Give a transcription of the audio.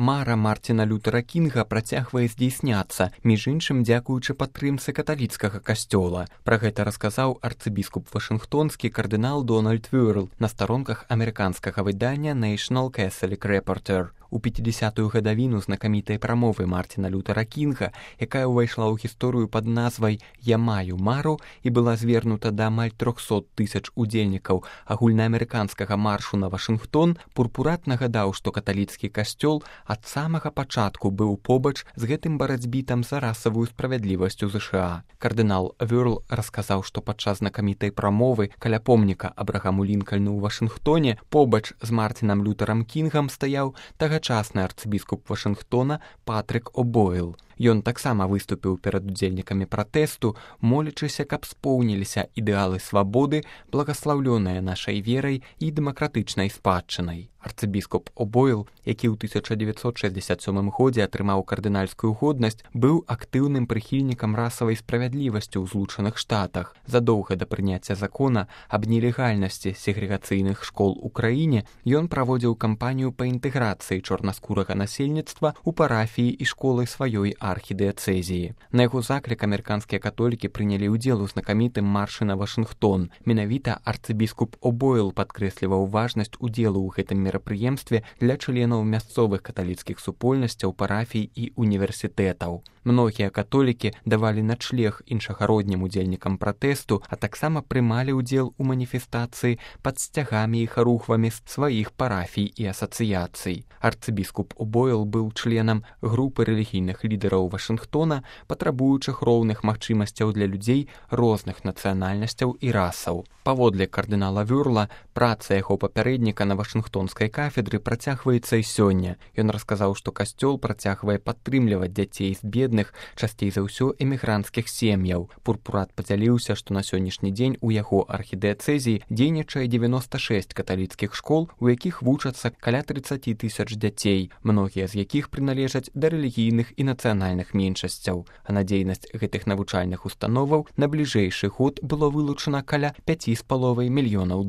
Мара Мартина Лютера Кінга працягвае здзейсняцца, між іншым дзякуючы падтрымцы каталіцкага касцёла. Пра гэта расказаў арцыбіскуп вашынгтонскі кардынал Дональд Вёрл на старонках амерыканскага выдання National Catholic Reporter. У 50-ю гадавіну знакамітай прамовы Мартина Лютера Кінга, якая ўвайшла ў гісторыю пад назвай «Я маю мару» і была звернута да амаль 300 000 удзельнікаў агульнаамерыканскага маршу на Вашынгтон, Пурпурат нагадаў, што каталіцкі касцёл ад самага пачатку быў побач з гэтым барацьбітам за расавую справядлівасць у ЗША. Кардынал Вёрл расказаў, што падчас знакамітай прамовы каля помніка Абрагаму Лінкальну ў Вашынгтоне побач з Мартинам Лютерам Кінгам стаяў тагачасны арцыбіскуп Вашынгтона Патрык О'Бойл. Ён таксама выступіў перад удзельнікамі пратэсту, молячыся, каб споўніліся ідэалы свабоды, благаслаўлёныя нашай верай і дэмакратычнай спадчынай. Арцыбіскуп О'Бойл, які ў 1967 годзе атрымаў кардынальскую годнасць, быў актыўным прыхільнікам расавай справядлівасці ў Злучаных Штатах. Задоўга да прыняцця закона аб нелегальнасці сегрэгацыйных школ у краіне ён праводзіў кампанію па інтэграцыі чорнаскурага насельніцтва ў парафіі і школы сваёй архідыяцэзіі. На яго заклік амерыканскія католікі прынялі ўдзел у знакамітым маршы на Вашынгтон. Менавіта арцыбіскуп О'Бойл падкрэсліваў важнасць удзелу ў гэтым мерапрыемстве для членаў мясцовых каталіцкіх супольнасцяў, парафій і універсітэтаў. Многія католікі давалі начлег іншагароднім удзельнікам пратэсту, а таксама прымалі ўдзел у маніфестацыі пад сцягамі і харухвамі сваіх парафій і асацыяцый. Арцыбіскуп О'Бойл быў членам групы рэлігійных лідараў Вашынгтона, патрабуючых роўных магчымасцяў для людзей розных нацыянальнасцяў і расаў. Паводле кардынала Вёрла, праца яго папярэдніка на вашынгтонскай кафедры працягваецца і сёння. Ён расказаў, што касцёл працягвае падтрымліваць дзяцей з бедных, часцей за ўсё эмігранцкіх сем'яў. Пурпурат падзяліўся, што на сённяшні дзень у яго архідыяцэзіі дзейнічае 96 каталіцкіх школ, у якіх вучацца каля 30 000 дзяцей, многія з якіх прыналежаць да рэлігійных і нацыянальных меншасцяў. А на дзейнасць гэтых навучальных установаў на бліжэйшы год было вылучана каля $5,5 мільёнаў.